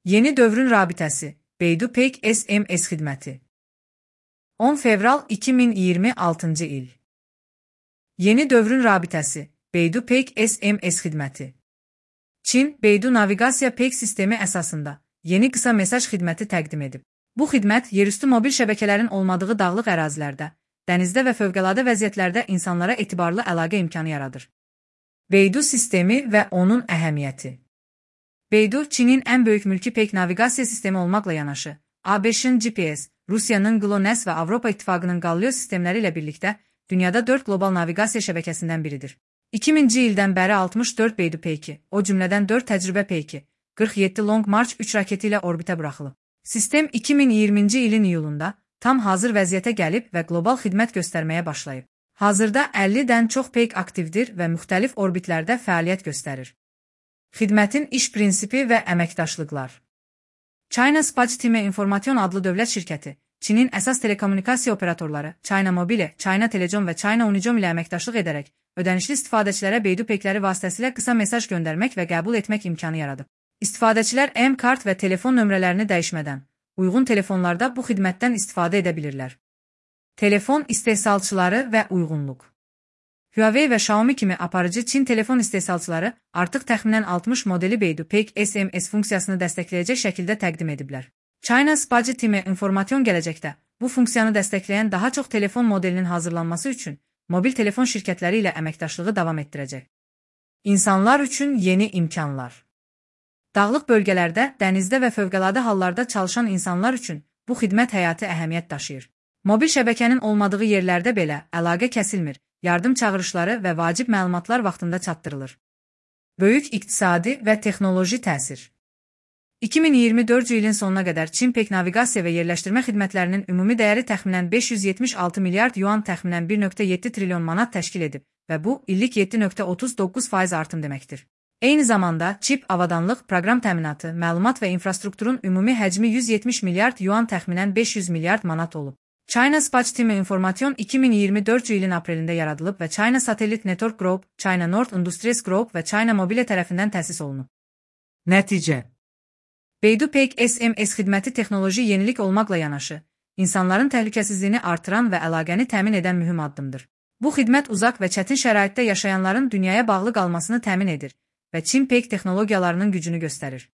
Yeni dövrün rabitəsi, Baidu Pay SMS xidməti. 10 fevral 2026 il. Yeni dövrün rabitəsi, Baidu Pay SMS xidməti. Çin, Baidu naviqasiya Pay sistemi əsasında yeni qısa mesaj xidməti təqdim edib. Bu xidmət yerüstü mobil şəbəkələrin olmadığı dağlıq ərazilərdə, dənizdə və fövqəladə vəziyyətlərdə insanlara etibarlı əlaqə imkanı yaradır. Baidu sistemi və onun əhəmiyyəti. Baidu, Çinin ən böyük mülki Pay naviqasiya sistemi olmaqla yanaşı, ABŞ-ın GPS, Rusiyanın GLONASS və Avropa İttifaqının Galileo sistemləri ilə birlikdə dünyada 4 qlobal naviqasiya şəbəkəsindən biridir. 2000-ci ildən bəri 64 Baidu Pay-2, o cümlədən 4 təcrübə Pay-2, 47 Long March 3 raketi ilə orbitə buraxılıb. Sistem 2020-ci ilin iyulunda tam hazır vəziyyətə gəlib və qlobal xidmət göstərməyə başlayıb. Hazırda 50-dən çox Pay aktivdir və müxtəlif orbitlərdə fəaliyyət göstərir. Xidmətin iş prinsipi və əməkdaşlıqlar. China Space Time Information adlı dövlət şirkəti, Çinin əsas telekommunikasiya operatorları, China Mobile, China Telecom və China Unicom ilə əməkdaşlıq edərək, ödənişli istifadəçilərə Baidu Pay-ləri vasitəsilə qısa mesaj göndərmək və qəbul etmək imkanı yaradıb. İstifadəçilər M-kart və telefon nömrələrini dəyişmədən, uyğun telefonlarda bu xidmətdən istifadə edə bilirlər. Telefon istehsalçıları və uyğunluq. Huawei və Xiaomi kimi aparıcı Çin telefon istehsalçıları artıq təxminən 60 modeli Baidu Pay SMS funksiyasını dəstəkləyəcək şəkildə təqdim ediblər. China Space Time Information gələcəkdə bu funksiyanı dəstəkləyən daha çox telefon modelinin hazırlanması üçün mobil telefon şirkətləri ilə əməkdaşlığı davam etdirəcək. İnsanlar üçün yeni imkanlar. Dağlıq bölgələrdə, dənizdə və fövqəladə hallarda çalışan insanlar üçün bu xidmət həyati əhəmiyyət daşıyır. Mobil şəbəkənin olmadığı yerlərdə belə əlaqə kəsilmir. Yardım çağırışları və vacib məlumatlar vaxtında çatdırılır. Böyük iqtisadi və texnoloji təsir. 2024 ilin sonuna qədər Çin Pay naviqasiya və yerləşdirmə xidmətlərinin ümumi dəyəri təxminən 576 milyard yuan təxminən 1,7 trilyon manat təşkil edib və bu, illik 7,39% artım deməkdir. Eyni zamanda, çip, avadanlıq, proqram təminatı, məlumat və infrastrukturun ümumi həcmi 170 milyard yuan təxminən 500 milyard manat olub. China Space Time Information 2024 ilin aprelində yaradılıb və China Satellite Network Group, China North Industries Group və China Mobile tərəfindən təsis olunub. Nəticə. Baidu Pay SMS xidməti texnoloji yenilik olmaqla yanaşı, insanların təhlükəsizliyini artıran və əlaqəni təmin edən mühüm addımdır. Bu xidmət uzaq və çətin şəraitdə yaşayanların dünyaya bağlı qalmasını təmin edir və Çin Pay texnologiyalarının gücünü göstərir.